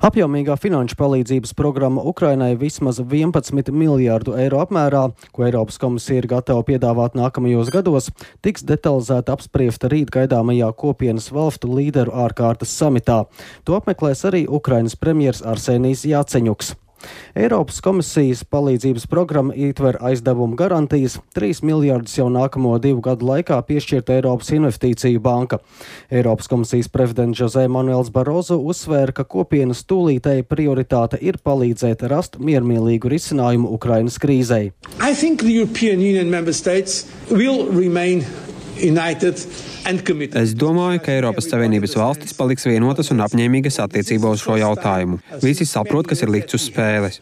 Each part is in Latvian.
Apjomīgā finanšu palīdzības programma Ukrainai vismaz 11 miljārdu eiro apmērā, ko Eiropas komisija ir gatava piedāvāt nākamajos gados, tiks detalizēti apspriesta rīt gaidāmajā kopienas valstu līderu ārkārtas samitā. To apmeklēs arī Ukrainas premjers Arsenijs Jaceņuks. Eiropas komisijas palīdzības programma ietver aizdevumu garantijas 3 miljārdus jau nākamo 2 gadu laikā piešķirta Eiropas investīciju banka. Eiropas komisijas prezidents José Manuels Barroso uzsvēra, ka kopienas tūlītēja prioritāte ir palīdzēt rast miermīlīgu risinājumu Ukrainas krīzei. Es domāju, ka Eiropas Savienības valstis paliks vienotas un apņēmīgas attiecībā uz šo jautājumu. Visi saprot, kas ir likts uz spēles.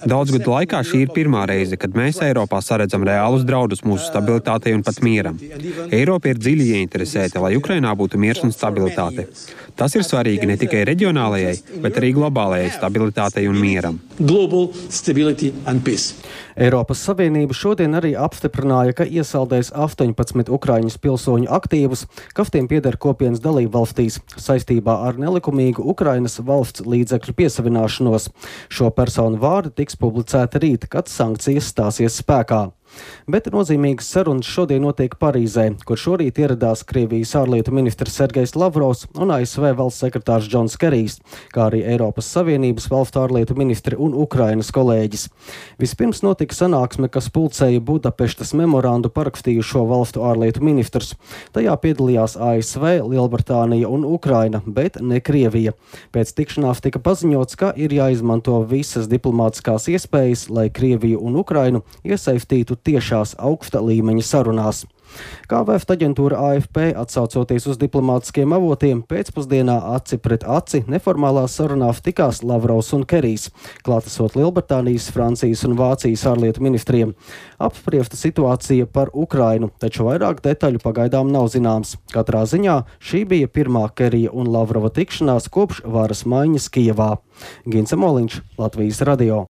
Daudz gadu laikā šī ir pirmā reize, kad mēs Eiropā saredzam reālus draudus mūsu stabilitātei un pat mieram. Eiropa ir dziļi ieinteresēta, lai Ukrainā būtu miers un stabilitāte. Tas ir svarīgi ne tikai reģionālajai, bet arī globālajai stabilitātei un mieram. Eiropas Savienība šodien arī apstiprināja, ka iesaldēs 18 Ukraiņas pilsoņu aktīvus, kas tiem pieder kopienas dalību valstīs, saistībā ar nelikumīgu Ukrainas valsts līdzekļu piesavināšanos. Šo personu vārdi tiks publicēti rīt, kad sankcijas stāsies spēkā. Bet nozīmīgas sarunas šodien notiek Parīzē, kur šorīt ieradās Krievijas ārlietu ministrs Sergejs Lavrovs un ASV valsts sekretārs Džons Kerijs, kā arī Eiropas Savienības valstu ārlietu ministri un Ukrainas kolēģis. Vispirms notika sanāksme, kas pulcēja Budapeštas memorandu parakstījušo valstu ārlietu ministrus. Tajā piedalījās ASV, Lielbritānija un Ukraina, bet ne Krievija. Pēc tikšanās tika paziņots, ka ir jāizmanto visas diplomātiskās iespējas, lai Krieviju un Ukrainu iesaistītu tiešās augsta līmeņa sarunās. Kā vēst aģentūra AFP, atsaucoties uz diplomātiskiem avotiem, pēcpusdienā aci pret aci neformālās sarunās tikās Lavrovs un Kerijs, klātesot Lielbritānijas, Francijas un Vācijas ārlietu ministriem. Apspriesta situācija par Ukrainu, taču vairāk detaļu pagaidām nav zināms. Katrā ziņā šī bija pirmā Kerija un Lavrova tikšanās kopš varas maiņas Kijevā. Gince Moliņš, Latvijas radio.